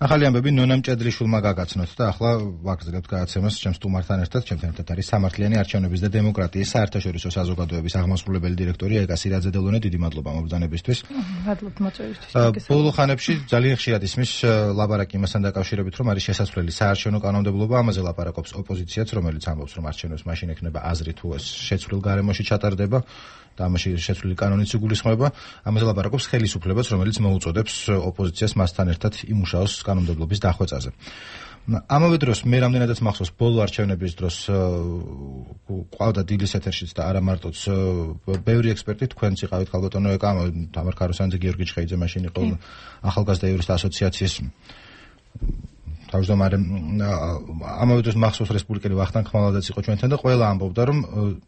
ახალი ამბები ნონა მჭედრიშვილმა გაგაცნოთ და ახლა ვაგრძელებთ გადაცემას ჩემს სტუმართან ერთად. ჩემთან ერთად არის სამართლიანი არჩევნების და დემოკრატიის საერთაშორისო საზოგადოების აღმასრულებელი დირექტორი ეკა სირაძე-დელონე. დიდი მადლობა მობრძანებისთვის. მადლობთ მოწვევისთვის. ბოლო ხანებში ძალიან ხშირად ისმის ლაპარაკი იმასთან დაკავშირებით, რომ არის შესაძლებელი საარჩევნო კანონმდებლობა, ამაზე ლაპარაკობს ოპოზიციაც, რომელიც ამბობს, რომ არჩევნებს მაშინ ექნება აზრი თუ ეს შეცვლილ გარემოში ჩატარდება და ამაში შეცვლილი კანონიც იგულისხმება. ამაზე ლაპარაკობს ხელისუფლებას, რომელიც მოუწოდებს ოპოზიციას მასთან ერთად იმუშაოს კანონმდებლობის დახვეწაზე. ამავე დროს მე რამდენადაც მახსოვს ბოლო არჩევნების დროს ყავდა დილის ეთერშიც და არა მარტოც ბევრი ექსპერტი, თქვენც იყავით ქალბატონო ეკა, თამარ ქაროსანიძე, გიორგი ჩხეიძე მაშინ იყო ახალგაზრდა იურისტთა ასოციაციის თავმჯდომარე. ამავე დროს მახსოვს რესპუბლიკელი ვახტანგ ხმალადაც იყო ჩვენთან და ყველა ამბობდა, რომ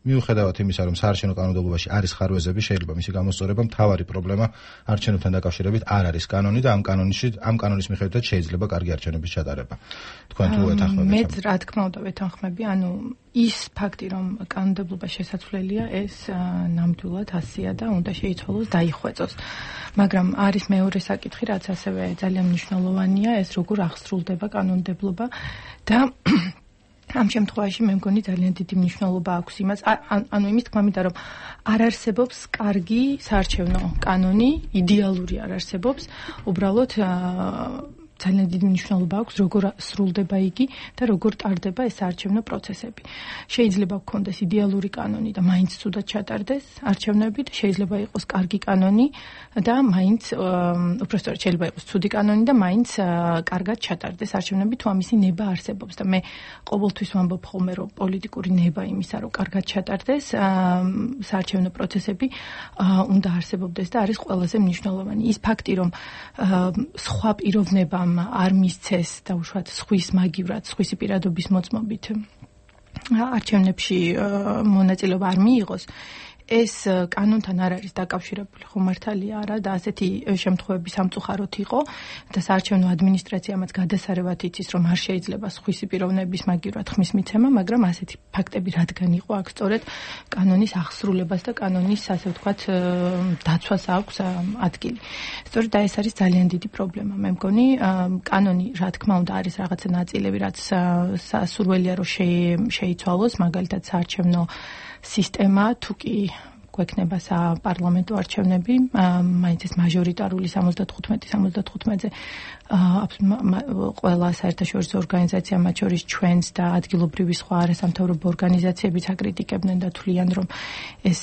მიუხედავად იმისა, რომ საარჩევნო კანონმდებლობაში არის ხარვეზები, შეიძლება მისი გამოსწორება, მთავარი პრობლემა არჩევნებთან დაკავშირებით არ არის კანონი და ამ კანონის მიხედვითაც შეიძლება კარგი არჩევნების ჩატარება. თქვენ თუ ეთანხმებით? მეც რა თქმა უნდა ვეთანხმები, ანუ ის ფაქტი, რომ კანონმდებლობა შესაძლებელია, ეს ნამდვილად ასია და უნდა შეიცვალოს, დაიხვეწოს. მაგრამ არის მეორე საკითხი, რაც ასევე ძალიან მნიშვნელოვანია, ეს როგორ აღსრულდება კანონმდებლობა და ამ შემთხვევაში მე მგონი ძალიან დიდი მნიშვნელობა აქვს იმას, ანუ იმის თქმა მინდა, რომ არ არსებობს კარგი საარჩევნო კანონი, იდეალური არ არსებობს, უბრალოდ ძალიან დიდი მნიშვნელობა აქვს, როგორ სრულდება იგი და როგორ ტარდება ეს საარჩევნო პროცესები. შეიძლება გქონდეს იდეალური კანონი და მაინც ცუდად ჩატარდეს არჩევნები და შეიძლება იყოს კარგი კანონი და მაინც უბრალოდ შეიძლება იყოს ცუდი კანონი და მაინც კარგად ჩატარდეს არჩევნები, თუ ამისი ნება არსებობს და მე ყოველთვის ვამბობ ხოლმე, რომ პოლიტიკური ნება იმისა, რომ კარგად ჩატარდეს საარჩევნო პროცესები უნდა არსებობდეს და არის ყველაზე მნიშვნელოვანი. ის ფაქტი, რომ სხვა პიროვნება არ მისცეს და უშუალოდ სხვის მაგივრად, სხვისი პირადობის მოწმობით არჩევნებში მონაწილეობა არ მიიღოს, ეს კანონთან არ არის დაკავშირებული, ხო მართალია არა და ასეთი შემთხვევები სამწუხაროდ იყო და საარჩევნო ადმინისტრაციამაც გადასარევად იცის, რომ არ შეიძლება სხვისი პიროვნების მაგივრად ხმის მიცემა, მაგრამ ასეთი ფაქტები რადგან იყო, აქ სწორედ კანონის აღსრულებას და კანონის, ასე ვთქვათ, დაცვას აქვს ადგილი. სწორედ ეს არის ძალიან დიდი პრობლემა. მე მგონი, კანონი, რა თქმა უნდა, არის რაღაცა ნაწილები, რაც სასურველია, რომ შეიცვალოს, მაგალითად საარჩევნო სისტემა, თუ კი გვექნება საპარლამენტო არჩევნები, მაინც ეს მაჟორიტარული 75-ზე ყველა საერთაშორისო ორგანიზაცია, მათ შორის ჩვენს და ადგილობრივი სხვა არასამთავრობო ორგანიზაციებიც აკრიტიკებდნენ და თვლიან, რომ ეს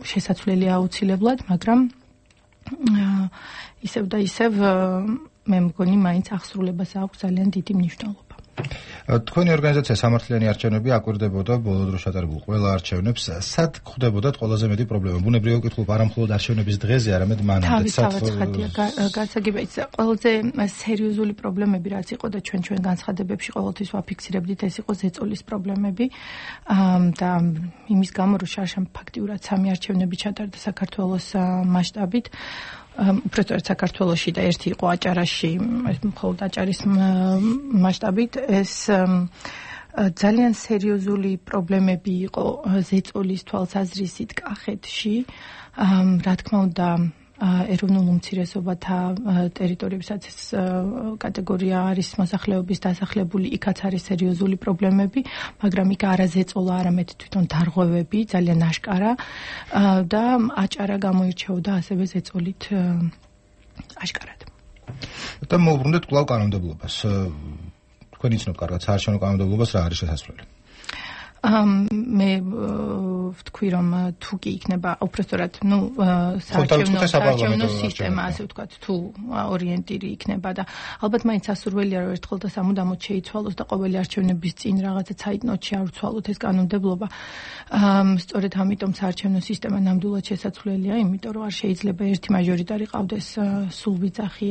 შესაძლებელია აუცილებლად, მაგრამ ისევ და ისევ მე მგონი მაინც აღსრულებას აქვს ძალიან დიდი მნიშვნელობა. თქვენი ორგანიზაცია სამართლიანი არჩევნები აკვირდებოდა ბოლო დროს ჩატარებულ ყველა არჩევნებს. სად ხვდებოდათ ყველაზე მეტი პრობლემა? ბუნებრივია ვკითხულობ არა მხოლოდ არჩევნების დღეზე, არამედ მანამდე. განსაკუთრებით ყველაზე სერიოზული პრობლემები რაც იყო და ჩვენ განცხადებებში ყოველთვის ვაფიქსირებდით, ეს იყო ზეწოლის პრობლემები და იმის გამო, რომ შარშან ფაქტიურად სამი არჩევნები ჩატარდა საქართველოს მასშტაბით. უბრალოდ საქართველოში და ერთი იყო აჭარაში, მხოლოდ აჭარის მასშტაბით, ეს ძალიან სერიოზული პრობლემები იყო ზეწოლის თვალსაზრისით კახეთში. რა თქმა უნდა, ეროვნულ უმცირესობათა ტერიტორიებსაც ეს კატეგორია არის მოსახლეობის დასახლებული, იქაც არის სერიოზული პრობლემები, მაგრამ იქ არა ზეწოლა, არამედ თვითონ დარღვევები, ძალიან აშკარა და აჭარა გამოირჩეოდა ასევე ზეწოლით აშკარად. და მოვუბრუნდეთ კვლავ კანონმდებლობას. თქვენ იცნობთ კარგად საარჩევნო კანონმდებლობას რა არის შესაძლებელი? მე ვთქვი, რომ თუ კი იქნება უბრალოდ საარჩევნო სისტემა, ასე ვთქვათ, თუ ორიენტირი იქნება და ალბათ მაინც სასურველია, რომ ერთხელ და სამუდამოდ შეიცვალოს და ყოველი არჩევნების წინ რაღაცა ცაიტნოტში არ ვცვალოთ ეს კანონმდებლობა. სწორედ ამიტომ საარჩევნო სისტემა ნამდვილად შესაძლებელია, იმიტომ რომ არ შეიძლება ერთი მაჟორიტარი ყავდეს სულვიძახი,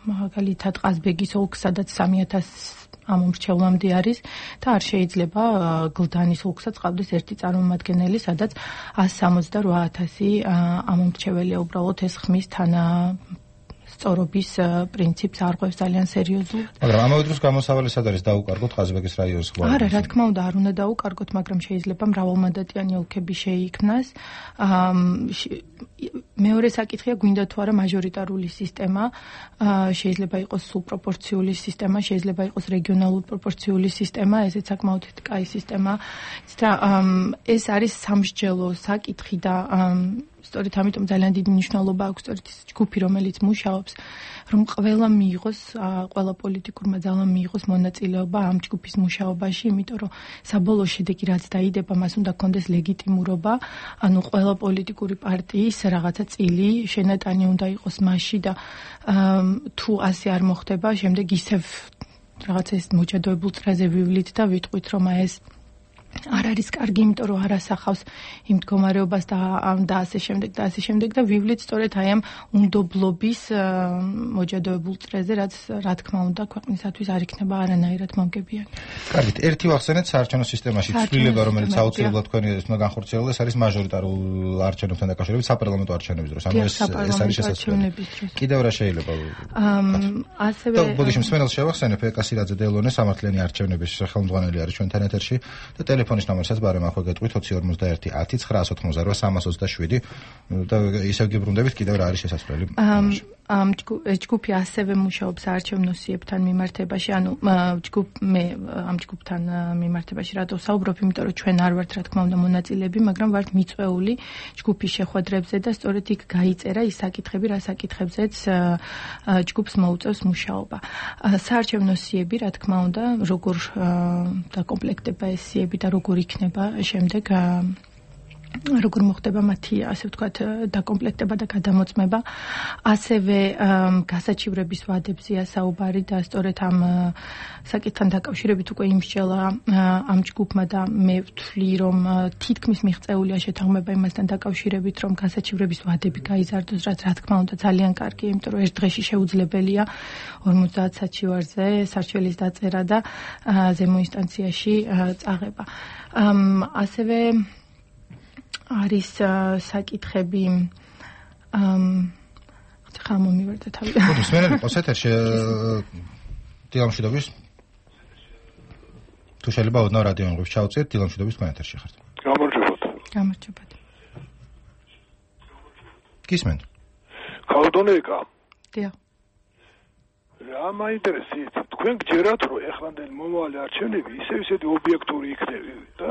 მაგალითად ყაზბეგის ოლქს, სადაც 3000 ამომრჩევლამდე არის და არ შეიძლება გლდანის ოლქსაც ყავდეს ერთი წარმომადგენელი, სადაც 168,000 ამომრჩეველია, უბრალოდ ეს ხმის სწორობის პრინციპს არღვევს ძალიან სერიოზულად. მაგრამ ამავე დროს გამოსავალი სად არის დაუკარგოთ ყაზბეგის რაიონის ხვალ? არა, რა თქმა უნდა, არ უნდა დაუკარგოთ, მაგრამ შეიძლება მრავალმანდატიანი ოლქები შეიქმნას. მეორე საკითხია, გვინდა თუ არა მაჟორიტარული სისტემა, შეიძლება იყოს სულპროპორციული სისტემა, შეიძლება იყოს რეგიონალური პროპორციული სისტემა, ესეც საკმაოდ კაი სისტემა. ეს არის სამსჯელო საკითხი და სწორედ ამიტომ ძალიან დიდი მნიშვნელობა აქვს სწორედ ის ჯგუფი, რომელიც მუშაობს, რომ ყველა მიიღოს, ყველა პოლიტიკურმა ძალამ მიიღოს მონაწილეობა ამ ჯგუფის მუშაობაში, იმიტომ რომ საბოლოო შედეგი რაც დაიდება, მას უნდა კონდეს ლეგიტიმურობა, ანუ ყველა პოლიტიკური პარტიის რაღაცა წილი შენატანი უნდა იყოს მასში და თუ ასე არ მოხდება, შემდეგ ისევ რაღაცა ეს მოჭადოებულ წრეზე ვივლით და ვიტყვით, რომ ეს არ არის კარგი, იმიტომ რომ არ ასახავს იმ მდგომარეობას და ასე შემდეგ და ვივლით სწორედ აი ამ უნდობლობის მოჭადოებულ წრეზე, რაც რა თქმა უნდა ქვეყნისათვის არ იქნება არანაირად მომგებიანი. კარგით, ერთი ვახსენეთ საარჩევნო სისტემაში ცვლილება, რომელიც აუცილებლად თქვენი უნდა განხორციელდეს, არის მაჟორიტარულ არჩევნებთან დაკავშირებით საპარლამენტო არჩევნების დროს. ანუ ეს არის შესაძლებელი. კიდევ რა შეიძლება? ასევე ბოდიში მსმენელს შევახსენებ, ეკასირაძე დელონე სამართლიანი არჩევნების ხელმძღვანელი არის ჩვენთან ეთერში და ტელეფონის ნომერსაც ბარემ ახლა გეტყვით 20 50 10 988 327 და ისევ გიბრუნდებით კიდევ რა არის შესაძლებელი. ამ ჯგუფი ასევე მუშაობს საარჩევნო სიებთან მიმართებაში, ანუ ამ ჯგუფთან მიმართებაში რატო ვსაუბრობ, იმიტომ რომ ჩვენ არ ვართ რა თქმა უნდა მონაწილეები, მაგრამ ვართ მიწვეული ჯგუფის შეხვედრებზე და სწორედ იქ გაიწერა ის საკითხები, რა საკითხებზეც ჯგუფს მოუწევს მუშაობა. საარჩევნო სიები, რა თქმა უნდა, როგორ დაკომპლექტება ეს სიები და როგორ იქნება შემდეგ როგორ მოხდება მათი, ასე ვთქვათ, დაკომპლექტება და გადამოწმება. ასევე გასაჩივრების ვადებზეა საუბარი და სწორედ ამ საკითხთან დაკავშირებით უკვე იმსჯელა ამ ჯგუფმა და მე ვთვლი, რომ თითქმის მიღწეულია შეთანხმება იმასთან დაკავშირებით, რომ გასაჩივრების ვადები გაიზარდოს, რაც რა თქმა უნდა ძალიან კარგია, იმიტომ რომ ერთ დღეში შეუძლებელია 50 საჩივარზე სარჩელის დაწერა და ზემო ინსტანციაში წაღება. ასევე არის საკითხები ხა მომივერდა თავი. მოდი სმენელი ყავს ეთერში დილამშვიდობის თუ შეიძლება ოდნავ რადიო ინგლისში ჩავწიეთ დილამშვიდობის თქვენ ეთერში ხართ. გამარჯობათ. გისმენთ? ქალბატონიკა. დიახ. რა მაინტერესებს თქვენ გჯერათ რომ ეხლანდელი მომავალი არჩევნები ისეთი ობიექტური იქნება და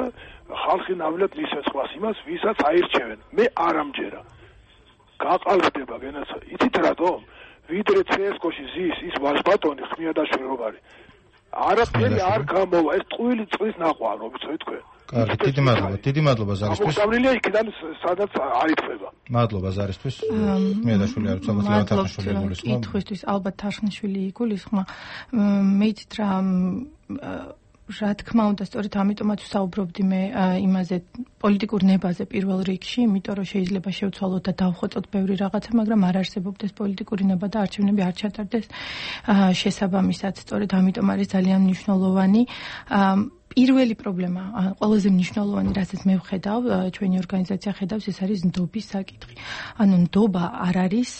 ხალხი ნამდვილად მისცეს ხვას იმას, ვისაც აირჩევენ. მე არ ამჯერა. გაყალბდება გენაცა. იცით რატომ? ვიდრე CSGO-ში ზის ის ვაჟბატონი ხმიადაშვილი რომ არის. არაფერი არ გამოვა. ეს ტყუილი წყლის ნაყვაა, რომ ვიცით თქვენ. კარგი, დიდი მადლობა ზარისთვის. მოწამლილია იქიდან სადაც არ ითხვება. მადლობა ზარისთვის. ხმიადაშვილი არის ალბათ ლევან თარხნიშვილი იგულისხმება. კითხვისთვის ალბათ თარხნიშვილი იგულისხმება. მეც რა თქმა უნდა, სწორედ ამიტომაც ვსაუბრობდი მე იმაზე პოლიტიკურ ნებაზე პირველ რიგში, იმიტომ რომ შეიძლება შევცვალოთ და დავხოწოთ ბევრი რაღაცა, მაგრამ არ არსებობდეს პოლიტიკური ნება და არჩევნები არ ჩატარდეს შესაბამისად. სწორედ ამიტომ არის ძალიან მნიშვნელოვანი პირველი პრობლემა, ყველაზე მნიშვნელოვანი, რასაც მე ვხედავ, ჩვენი ორგანიზაცია ხედავს, ეს არის ნდობის საკითხი. ანუ ნდობა არ არის,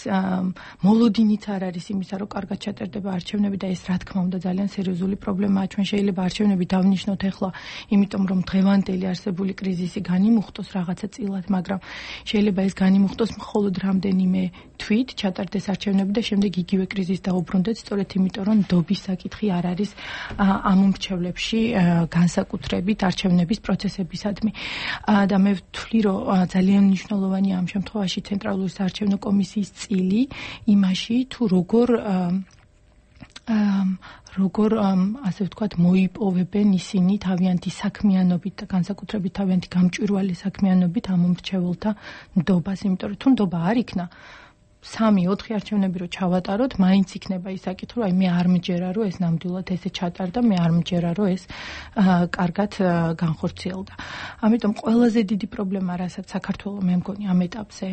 მოლოდინიც არ არის იმისა, რომ კარგად ჩატარდება არჩევნები და ეს რა თქმა უნდა ძალიან სერიოზული პრობლემაა. ჩვენ შეიძლება არჩევნები დავნიშნოთ ახლა, იმიტომ რომ დღევანდელი არსებული კრიზისი განიმუხტოს რაღაცა წილად, მაგრამ შეიძლება ეს განიმუხტოს მხოლოდ რამდენიმე თვით ჩატარდეს არჩევნები და შემდეგ იგივე კრიზისი დაუბრუნდეთ, სწორედ იმიტომ რომ ნდობის საკითხი არ არის ამ უმრჩევლებში განსაკუთრებით არჩევნების პროცესებისადმი. და მე ვთვლი, რომ ძალიან მნიშვნელოვანია ამ შემთხვევაში ცენტრალური საარჩევნო კომისიის წილი იმაში, თუ როგორ ასე ვთქვათ მოიპოვებენ ისინი თავიანთი საქმიანობით და განსაკუთრებით თავიანთი გამჭვირვალე საქმიანობით ამ უმრჩეველთა ნდობას, იმიტომ რომ თუ ნდობა არ იქნა 3-4 არჩევნები რო ჩავატაროთ, მაინც იქნება ის საკითხი, რომ აი მე არ მჯერა, რომ ეს ნამდვილად ესე ჩატარდა, მე არ მჯერა, რომ ეს კარგად განხორციელდა. ამიტომ ყველაზე დიდი პრობლემა, რასაც საქართველოს მე მგონი ამ ეტაპზე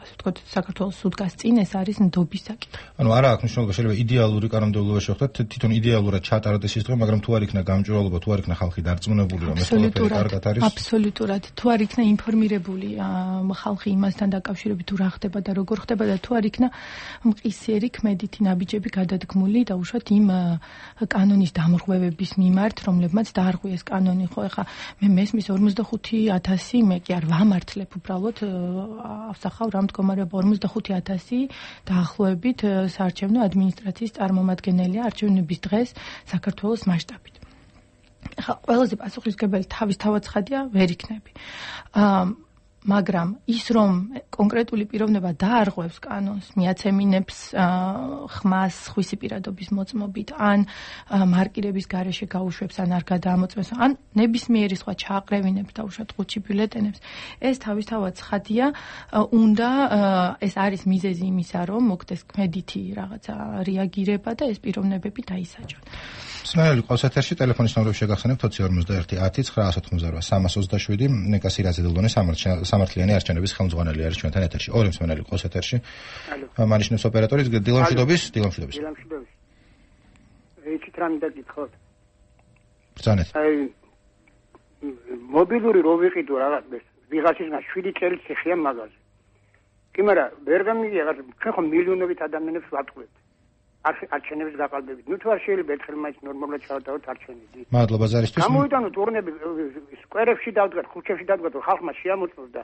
ასე ვთქვათ, საქართველოს სუდგას წინ ეს არის ნდობის საკითხი. ანუ არა აქვს მნიშვნელობა, შეიძლება იდეალური კანონმდებლობა შევხვდეთ, თვითონ იდეალურად ჩატარდეს ის დღე, მაგრამ თუ არ იქნა გამჭვირვალობა, თუ არ იქნა ხალხი დარწმუნებული, რომ ეს ყველაფერი კარგად არის. აბსოლუტურად. თუ არ იქნა ინფორმირებული ხალხი იმასთან დაკავშირებით, თუ რა ხდება და როგორ ხდება და თუ არ იქნა მყისიერი ქმედითი ნაბიჯები გადადგმული დაუშვათ იმ კანონის დამრღვევების მიმართ, რომლებმაც დაარღვიეს კანონი, ხო, ეხა მე მესმის 45,000, მე კი არ ვამართლებ უბრალოდ ავსახავ რა მდგომარეობა 45,000 დაახლოებით საარჩევნო ადმინისტრაციის წარმომადგენელია არჩევნების დღეს საქართველოს მასშტაბით. ეხა ყველაზე პასუხისმგებელი თავისთავად ცხადია ვერ იქნები. მაგრამ ის რომ კონკრეტული პიროვნება დაარღვევს კანონს, მიაცემინებს ხმას ხვისი პირადობის მოწმობით, ან მარკირების გარეშე გაუშვებს, ან არ გადაამოწმებს, ან ნებისმიერი სხვა ჩააყრევინებს და უშუალოდ ყუთში ბიულეტენებს, ეს თავისთავად ცხადია, უნდა ეს არის მიზეზი იმისა, რომ მოხდეს ქმედითი რაღაცა რეაგირება და ეს პიროვნებები დაისაჯონ. სმენელი ყავს ეთერში ტელეფონის ნომრები შეგახსენებთ 21 10 988 387 ნიკა სირაძე-დელდონის სამართლიანი არჩევნების ხელმძღვანელი არის ჩვენთან ეთერში. ორი მსმენელი ყავს ეთერში. მანიშნებს ოპერატორი დილამშვიდობის. ეჩით რამ დაგითხოთ. ბრძანეთ. აი მობილური რო ვიყიდო რაღაც ვიღაცისგან 7 წელი ციხეა მაგაზე. კი მაგრამ ვერ გამიგია რა ჩვენ ხომ მილიონობით ადამიანებს ვატყუებთ. არჩევნების გაყალბებით. ნუ თუ არ შეიძლება ერთხელ მაინც ნორმალურად ჩავატაროთ არჩევნები. მადლობა ზარისთვის. გამოვიტანოთ ტურნები სკვერებში დავდგათ, ქუჩებში დავდგათ, ხალხმა შეამოწმოს და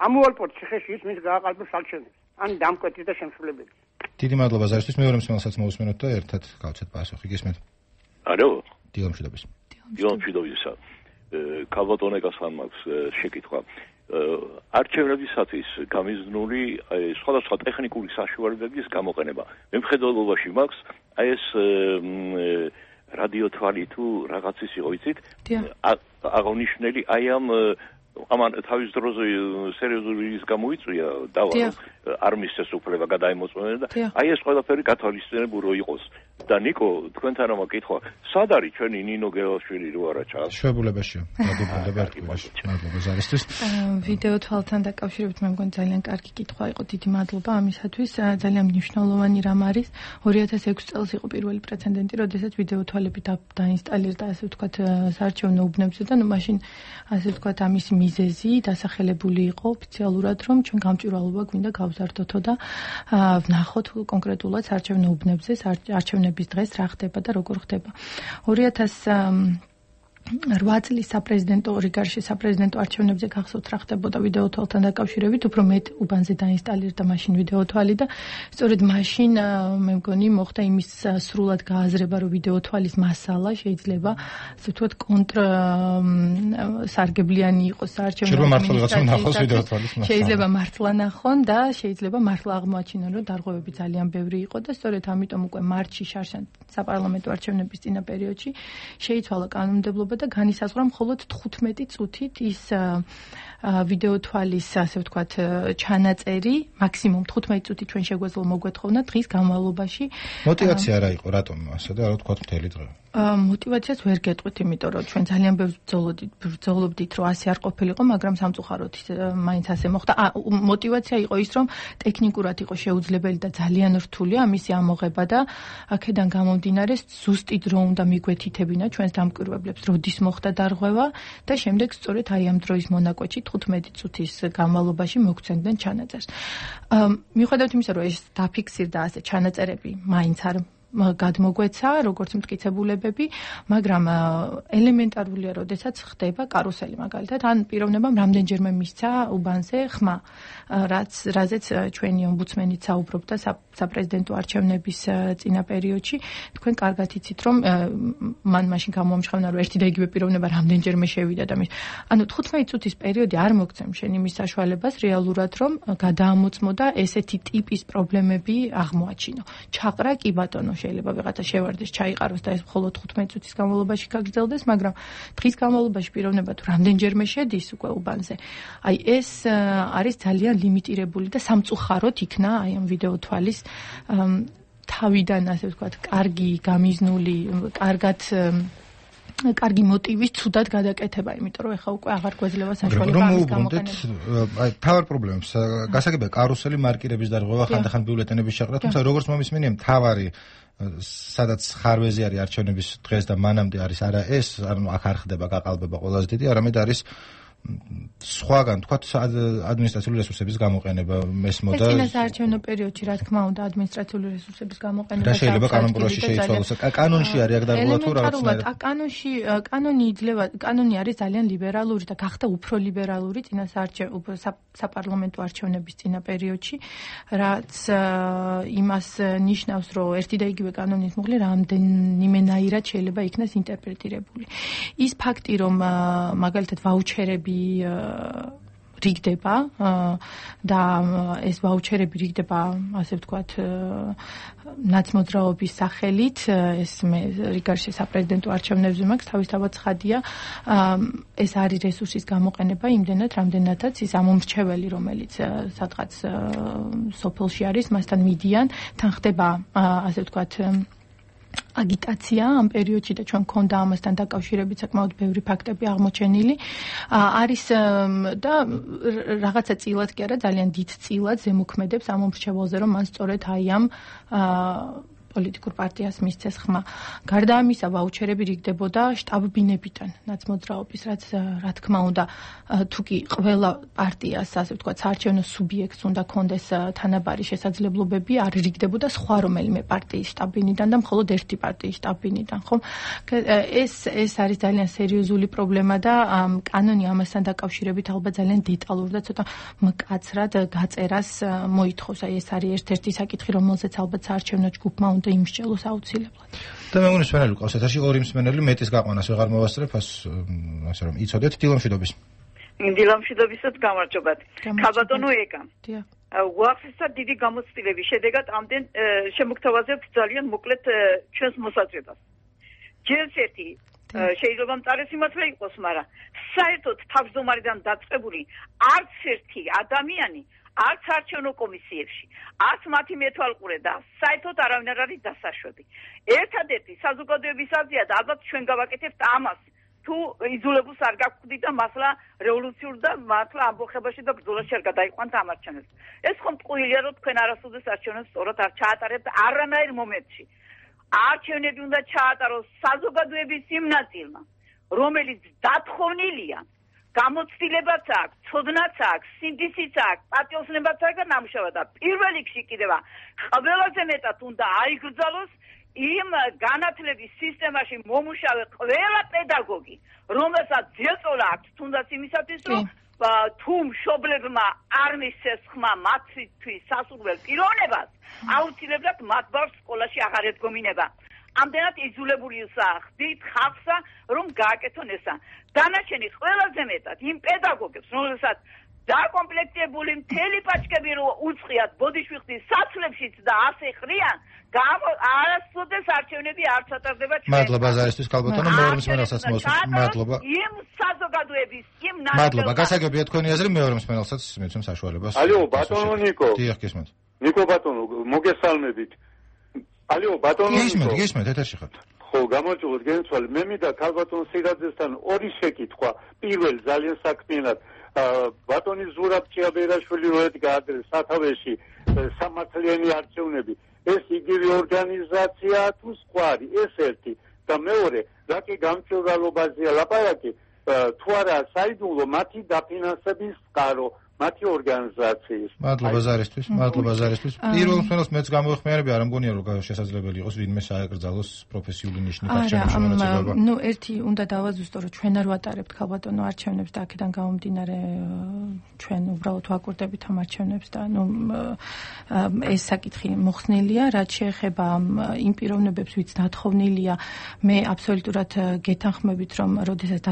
ამოვალპოთ ციხეში ის მის გააყალბებს არჩევნებს. ან დამკვეთის და შემსრულებელი. დიდი მადლობა ზარისთვის. მეორე მსმენელსაც მოусმენოთ და ერთად გავცეთ პასუხი. გისმენთ? ალო? დილამშვიდობის. დილამშვიდობისა. ქალბატონეკას ხან მაქვს შეკითხვა. არჩევნებისათვის გამიზნული სხვადასხვა ტექნიკური საშუალებების გამოყენება. მემხედველობაში მაქვს აი ეს რადიოთვალი თუ რაღაცის იყო იცით? აღნიშნული აი ამან თავის დროზე სერიოზული ის გამოიწვია დავა არ მისცეს უფლება გადაემოწმენა და აი ეს ყველაფერი გათვალისწინებულო იყოს. და ნიკო, თქვენთან რომ მეკითხვა, სად არის ჩვენი ნინო გელაშვილი რო არა ჩას? შვებულებაშია. დაგუბრუნდება ერთგვარში. მადლობა ზარისთვის. ვიდეო თვალთან დაკავშირებით მე მგონი ძალიან კარგი კითხვა იყო. დიდი მადლობა ამისათვის. ძალიან მნიშვნელოვანი რამ არის. 2006 წელს იყო პირველი პრეცედენტი, როდესაც ვიდეო თვალები დაინსტალირდა, ასე ვთქვათ, საარჩევნო უბნებზე და ნუ მაშინ ასე ვთქვათ ამის მიზეზი დასახელებული იყო ოფიციალურად, რომ ჩვენ გამჭვირვალობა გვინდა გავზარდოთო და ვნახოთ კონკრეტულად საარჩევნო უბნებზე არჩევნების დღეს რა ხდება და როგორ ხდება. 2008 წლის საპრეზიდენტო რიგარში საპრეზიდენტო არჩევნებზე გახსოვთ რა ხდებოდა ვიდეო თვალთან დაკავშირებით, უფრო მეტ უბანზე დაინსტალირდა მაშინ ვიდეო თვალი და სწორედ მაშინ მე მგონი მოხდა იმის სრულად გააზრება, რომ ვიდეო თვალის მასალა შეიძლება ასე ვთქვათ კონტრსარგებლიანი იყოს საარჩევნო ადმინისტრაციისათვის. შეიძლება მართლა ნახონ და შეიძლება მართლა აღმოაჩინონ, რომ დარღვევები ძალიან ბევრი იყო და სწორედ ამიტომ უკვე მარტში შარშან საპარლამენტო არჩევნების წინა პერიოდში შეიცვალა კანონმდებლობა და განისაზღვრა მხოლოდ 15 წუთით ის ვიდეო თვალის ასე ვთქვათ ჩანაწერი მაქსიმუმ 15 წუთი ჩვენ შეგვეძლო მოგვეთხოვნა დღის განმავლობაში. მოტივაცია რა იყო რატომ ასე და რა თქვათ მთელი დღე? მოტივაციას ვერ გეტყვით, იმიტომ რომ ჩვენ ძალიან ბევრ ბრძოლობდით, რომ ასე არ ყოფილიყო, მაგრამ სამწუხაროდ მაინც ასე მოხდა. მოტივაცია იყო ის, რომ ტექნიკურად იყო შეუძლებელი და ძალიან რთული ამისი ამოღება და აქედან გამომდინარე ზუსტი დრო უნდა მიგვეთითებინა ჩვენს დამკვირვებლებს, როდის მოხდა დარღვევა და შემდეგ სწორედ აი ამ დროის მონაკვეთში 15 წუთის განმავლობაში მოგცემდნენ ჩანაწერს. მიუხედავად იმისა, რომ ეს დაფიქსირდა ასე ჩანაწერები, მაინც არ გადმოგვეცა როგორც მტკიცებულებები, მაგრამ ელემენტარულია, როდესაც ხდება კარუსელი მაგალითად, ან პიროვნებამ რამდენჯერმე მისცა უბანზე ხმა, რაზეც ჩვენი ომბუდსმენიც საუბრობდა საპრეზიდენტო არჩევნების წინა პერიოდში. თქვენ კარგად იცით, რომ მან მაშინ გამოამჟღავნა, რომ ერთი და იგივე პიროვნება რამდენჯერმე შევიდა და ანუ 15 წუთის პერიოდი არ მოგცემ შენ იმის საშუალებას რეალურად, რომ გადაამოწმო და ესეთი ტიპის პრობლემები აღმოაჩინო. ჩაყრა კი ბატონო შეიძლება ვიღაცა შევარდეს, ჩაიყაროს და ეს მხოლოდ 15 წუთის განმავლობაში გაგრძელდეს, მაგრამ დღის განმავლობაში პიროვნება თუ რამდენჯერმე შედის უკვე უბანზე. აი ეს არის ძალიან ლიმიტირებული და სამწუხაროდ იქნა აი ამ ვიდეო თვალის თავიდან ასე ვთქვათ, კარგი გამიზნული, კარგი მოტივის ცუდად გადაკეთება, იმიტომ რომ ეხა უკვე აღარ გვეძლება საშუალება ამის გამოყენება. აი თავარ პრობლემებს გასაგებია კარუსელი მარკირების დარღვევა, ხანდახან ბიულეტენების შეყრა, თუმცა როგორც მომისმენია მთავარი სადაც ხარვეზი არის არჩევნების დღეს და მანამდე არის არა ეს, ანუ აქ არ ხდება გაყალბება ყველაზე დიდი, არამედ არის სხვაგან თქვათ ადმინისტრაციული რესურსების გამოყენება მესმოდა წინასაარჩევნო პერიოდში რა თქმა უნდა ადმინისტრაციული რესურსების გამოყენება და შეიძლება კანონპროექტში შეიცვალოს კანონში არის აქ დარღვევა თუ რაღაცნაირად კანონი არის ძალიან ლიბერალური და გახდა უფრო ლიბერალური საპარლამენტო არჩევნების წინა პერიოდში რაც იმას ნიშნავს რომ ერთი და იგივე კანონის მუღლი რამდენიმენაირად შეიძლება იქნას ინტერპრეტირებული ის ფაქტი რომ მაგალითად ვაუჩერები რიგდება და ეს ვაუჩერები რიგდება ასე ვთქვათ ნაცმოძრაობის სახელით ეს მე რიგარში საპრეზიდენტო არჩევნებზე მაქვს თავისთავად ცხადია ეს არის რესურსის გამოყენება იმდენად რამდენადაც ის ამომრჩეველი რომელიც სადღაც სოფელში არის მასთან მიდიან თან ხდება ასე ვთქვათ აგიტაცია ამ პერიოდში და ჩვენ გქონდა ამასთან დაკავშირებით საკმაოდ ბევრი ფაქტები აღმოჩენილი არის და რაღაცა წილად კი არა ძალიან დიდ წილად ზემოქმედებს ამ მომრჩეველზე რომ მან სწორედ აი ამ პოლიტიკურ პარტიას მისცეს ხმა. გარდა ამისა, ვაუჩერები რიგდებოდა შტაბ-ბინებიდან ნაცმოძრაობის, რაც რა თქმა უნდა, თუ კი ყველა პარტიას, ასე ვთქვათ, საარჩევნო სუბიექტს უნდა კონდეს თანაბარი შესაძლებლობები, არ რიგდებოდა სხვა რომელიმე პარტიის შტაბ-ბინიდან და მხოლოდ ერთი პარტიის შტაბ-ბინიდან, ხო? ეს არის ძალიან სერიოზული პრობლემა და კანონი ამასთან დაკავშირებით ალბათ ძალიან დეტალურ და ცოტა მკაცრად გაწერას მოითხოვს. აი ეს არის ერთ-ერთი საკითხი, რომელზეც ალბათ საარჩევნო ჯგუფმა უნდა იმსჯელოს აუცილებლად. და მე მგონი მსმენელი ყავს ეთერში ორი მსმენელი მეტის გაყვანას ვეღარ მოვასწრებ ასე რომ იცოდეთ დილამშვიდობის. დილამშვიდობისაც გამარჯობათ. ქალბატონო ეკა. დიახ. უახსესა დიდი გამოცდილების შედეგად ამდენ შემოგთავაზებთ ძალიან მოკლედ ჩვენს მოსაზრებას. ჯერ ერთი შეიძლება მწარე სიმართლე იყოს, მაგრამ საერთოდ თავმჯდომარიდან დაწყებული არც ერთი ადამიანი არც არჩევნო კომისიებში, არც მათი მეთვალყურე და საერთოდ არავინ არ არის დასაშვები. ერთადერთი საზოგადოების აზრია და ალბათ ჩვენ გავაკეთებთ ამას, თუ იძულებულს არ გაგვხდით და მასლა რევოლუციურ და მართლა ამბოხებაში და ბრძოლაში არ გადაიყვანთ ამ არჩევნებს. ეს ხომ ტყუილია, რომ თქვენ არასოდეს არჩევნებს სწორად არ ჩაატარებთ არანაირ მომენტში. არჩევნები უნდა ჩაატაროს საზოგადოების იმ ნაწილმა, რომელიც დათხოვნილია გამოცდილებაც აქვს, ცოდნაც აქვს, სინდისიც აქვს, პატიოსნებაც აქვს და ნამუშევარი და პირველ რიგში კიდევ ყველაზე მეტად უნდა აიგრძალოს იმ განათლების სისტემაში მომუშავე ყველა პედაგოგი, რომელსაც ძიაწოლა აქვს თუნდაც იმისათვის, რომ თუ მშობლებმა არ მისცეს ხმა მათთვის სასურველ პიროვნებას, აუცილებლად მათ ბავშვს სკოლაში აღარ ედგომინება. ამდენად იძულებული ხდით ხალხსა, რომ გააკეთონ ესა. დანარჩენი ყველაზე მეტად იმ პედაგოგებს, რომელსაც დაკომპლექტებული მთელი პაჭკები რო უწყიათ ბოდიშვიხტის საცლებშიც და ასე ხრიან, არასოდეს არჩევნები არ ჩატარდება ჩვენ. მადლობა ზარისთვის ქალბატონო, მეორე მსმენელსაც მოსვით. მადლობა. იმ საზოგადოების, იმ მადლობა. გასაგებია თქვენი აზრი, მეორე მსმენელსაც მიცემ საშუალებას. ალო, ბატონო ნიკო. დიახ, გისმენთ. ნიკო ბატონო, მოგესალმებით. ალო, ბატონო ნიკო. გისმენთ, ეთერში ხართ. ხო, გამარჯობათ, გენცვალე. მე მინდა ქალბატონ სირაძესთან ორი შეკითხვა. პირველ ძალიან საქმიანად ბატონი ზურაბ ჭიაბერაშვილი რო ედგა ადრე სათავეში სამართლიანი არჩევნები, ეს იგივე ორგანიზაცია თუ სხვა არის? ეს ერთი. და მეორე, რა კი გამჭვირვალობაზეა ლაპარაკი, თუ არა საიდუმლო მათი დაფინანსების წყარო, მათი ორგანიზაციის. მადლობა ზარისთვის, მადლობა ზარისთვის. პირველ მსმენელს მეც გამოეხმიანები, არ მგონია რომ შესაძლებელი იყოს ვინმე საეკრძალოს პროფესიული ნიშნით არჩევნებში მონაწილეობა. ნუ ერთი უნდა დავაზუსტო, რომ ჩვენ არ ვატარებთ ქალბატონო არჩევნებს და აქედან გამომდინარე ჩვენ უბრალოდ ვაკურდებით ამ არჩევნებს და ნუ ეს საკითხი მოხსნილია, რაც შეეხება იმ პიროვნებებს, ვინც დათხოვნილია, მე აბსოლუტურად გეთანხმებით, რომ როდესაც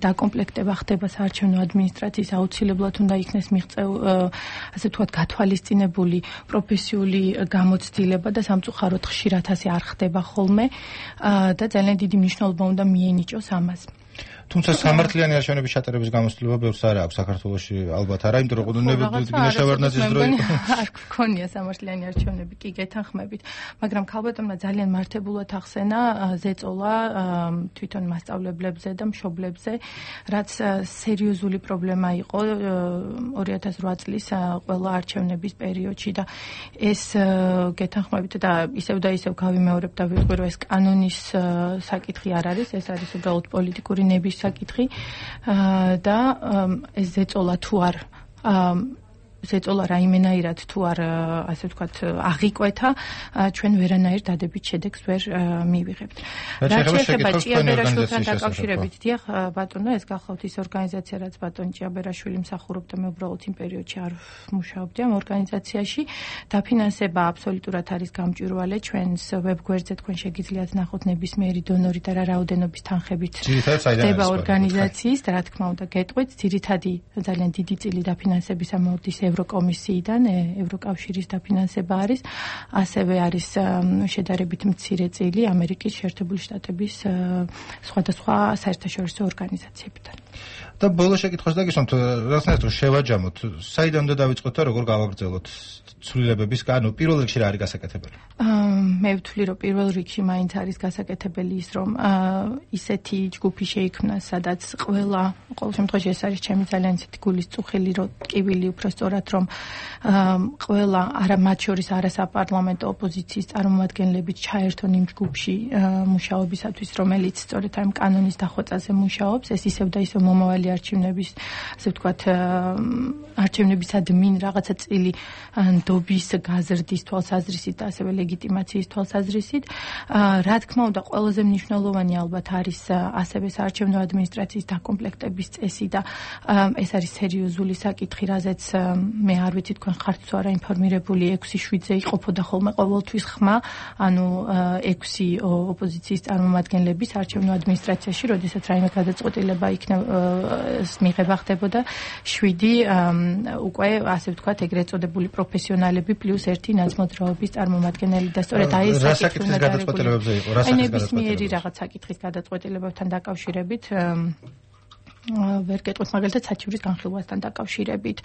დაკომპლექტება ხდება საარჩევნო ადმინისტრაციის აუცილებლად უნდა იქნეს ასე ვთქვათ გათვალისწინებული პროფესიული გამოცდილება და სამწუხაროდ ხშირად ასე არ ხდება ხოლმე და ძალიან დიდი მნიშვნელობა უნდა მიენიჭოს ამას. თუმცა სამართლიანი არჩევნების ჩატარების გამოცდილება ბევრს არ აქვს საქართველოში, ალბათ არა, იმიტომ რომ ნებისმიერ დრო არ გქონია სამართლიანი არჩევნები, კი გეთანხმებით, მაგრამ ქალბატონმა ძალიან მართებულად ახსენა ზეწოლა თვითონ მასწავლებლებზე და მშობლებზე, რაც სერიოზული პრობლემა იყო 2008 წლის ყველა არჩევნების პერიოდში და ეს გეთანხმებით და ისევ და ისევ გავიმეორებ და ვიტყვი, რომ ეს კანონის საკითხი არ არის, ეს არის უბრალოდ პოლიტიკური ნების საკითხი და ეს ზეწოლა თუ არ ზეწოლა რაიმენაირად თუ არ ასე ვთქვათ აღიკვეთა ჩვენ ვერანაირ დადებით შედეგს ვერ მივიღებთ. რა შეეხება ჭიაბერაშვილთან დაკავშირებით, დიახ ბატონო, ეს გახლავთ ის ორგანიზაცია, რაც ბატონ ჭიაბერაშვილი მსახურობდა, მე უბრალოდ იმ პერიოდში არ მუშაობდი ამ ორგანიზაციაში. დაფინანსება აბსოლუტურად არის გამჭვირვალე ჩვენს ვებგვერდზე, თქვენ შეგიძლიათ ნახოთ ნებისმიერი დონორი და რა რაოდენობის თანხებით ხდება ორგანიზაციის, რა თქმა უნდა, გეტყვით, ძირითადი ძალიან დიდი წილი დაფინანსებისა მოდის ევროკომისიიდან, ევროკავშირის დაფინანსება არის, ასევე არის შედარებით მცირე წილი ამერიკის შეერთებული შტატების სხვადასხვა საერთაშორისო ორგანიზაციებიდან. და ბოლო შეკითხვას დაგისვამთ, რაღაცნაირად რომ შევაჯამოთ, საიდან უნდა დავიწყოთ და როგორ გავაგრძელოთ ცვლილებების, ანუ პირველ რიგში რა არის გასაკეთებელი? მე ვთვლი, რომ პირველ რიგში მაინც არის გასაკეთებელი ის, რომ ისეთი ჯგუფი შეიქმნა, სადაც ყველა, ყოველ შემთხვევაში ეს არის ჩემი ძალიან ისეთი გულის წუხილი, რომ ტკივილი უფრო სწორად, რომ ყველა მათ შორის არასაპარლამენტო ოპოზიციის წარმომადგენლებით ჩაერთონ იმ ჯგუფში მუშაობისათვის, რომელიც სწორედ ამ კანონის დახვეწაზე მუშაობს, ეს ისევ და ისევ მომავალი არჩევნების, ასე ვთქვათ, არჩევნებისადმინ რაღაცა წილი ნდობის გაზრდის თვალსაზრისით და ასევე ლეგიტიმაციის თვალსაზრისით. რა თქმა უნდა, ყველაზე მნიშვნელოვანი ალბათ არის ასევე საარჩევნო ადმინისტრაციის დაკომპლექტების წესი და ეს არის სერიოზული საკითხი, რაზეც მე არ ვიცი თქვენ ხართ თუ არა ინფორმირებული 6-7-ზე იყოფოდა ხოლმე ყოველთვის ხმა, ანუ 6 ოპოზიციის წარმომადგენლების საარჩევნო ადმინისტრაციაში, როდესაც რაიმე გადაწყვეტილება მიღება ხდებოდა 7 უკვე ასე ვთქვათ ეგრეთ წოდებული პროფესიონალები პლუს 1 ნაცმოძრაობის წარმომადგენელი და სწორედ აი ეს საკითხი გადაწყვეტილებებზე იყო, რა საკითხის გადაწყვეტილებებზე? რაღაც საკითხის გადაწყვეტილებებთან დაკავშირებით ვერ გეტყვით, მაგალითად საჩივრის განხილვასთან დაკავშირებით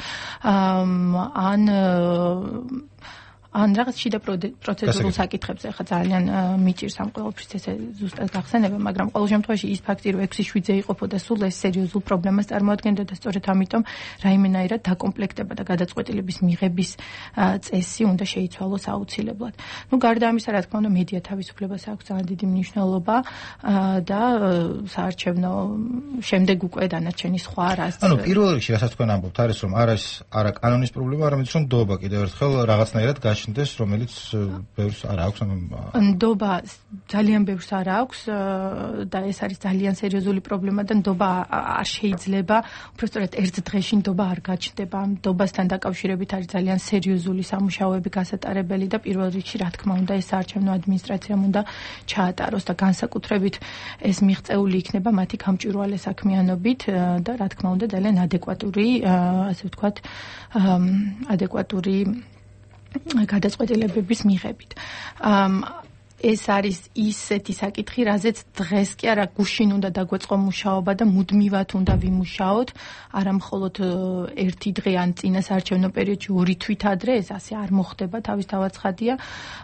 ან რაღაც შიდა პროცედურულ საკითხებზე ხა ძალიან მიჭირს ამ ყველაფრის ესე ზუსტად გახსენება, მაგრამ ყოველ შემთხვევაში ის ფაქტი, რომ 6-7-ზე იყოფოდა, სულ ეს სერიოზულ პრობლემას წარმოადგენდა და სწორედ ამიტომ რაიმენაირად დაკომპლექტება და გადაწყვეტილების მიღების წესი უნდა შეიცვალოს აუცილებლად. გარდა ამისა, რა თქმა უნდა, მედია თავისუფლებას აქვს ძალიან დიდი მნიშვნელობა და საარჩევნო შემდეგ უკვე დანარჩენი სხვა რას. ანუ პირველ რიგში, რასაც თქვენ ამბობთ, არის რომ არა კანონის პრობლემა, არამედ რომ ნდობა კიდევ ერთხელ რაღაცნაირად გაშინდეს, რომელიც ბევრს არ აქვს. ნდობა ძალიან ბევრს არ აქვს და ეს არის ძალიან სერიოზული პრობლემა და ნდობა არ შეიძლება, უბრალოდ ერთ დღეში ნდობა არ გაჩნდება. ნდობასთან დაკავშირებით არის ძალიან სერიოზული სამუშაოები გასატარებელი და პირველ რიგში, რა თქმა უნდა, ეს საარჩევნო ადმინისტრაციამ უნდა ჩაატაროს და განსაკუთრებით ეს მიღწეული იქნება მათი გამჭვირვალე საქმიანობით და რა თქმა უნდა, ძალიან ადეკვატური, ასე ვთქვათ, ადეკვატური გადაწყვეტილებების მიღებით. ეს არის ისეთი საკითხი, რაზეც დღეს კი არა გუშინ უნდა დაგვეწყო მუშაობა და მუდმივად უნდა ვიმუშაოთ, არა მხოლოდ ერთი დღე ან წინა საარჩევნო პერიოდში 2 თვით ადრე, ეს ასე არ მოხდება, თავისთავად ცხადია,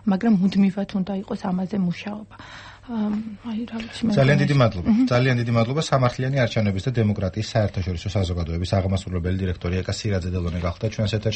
მაგრამ მუდმივად უნდა იყოს ამაზე მუშაობა. ძალიან დიდი მადლობა. ძალიან დიდი მადლობა. სამართლიანი არჩევნების და დემოკრატიის საერთაშორისო საზოგადოების აღმასრულებელი დირექტორი ეკა სირაძე დელონე გახდა ჩვენს ეთერში.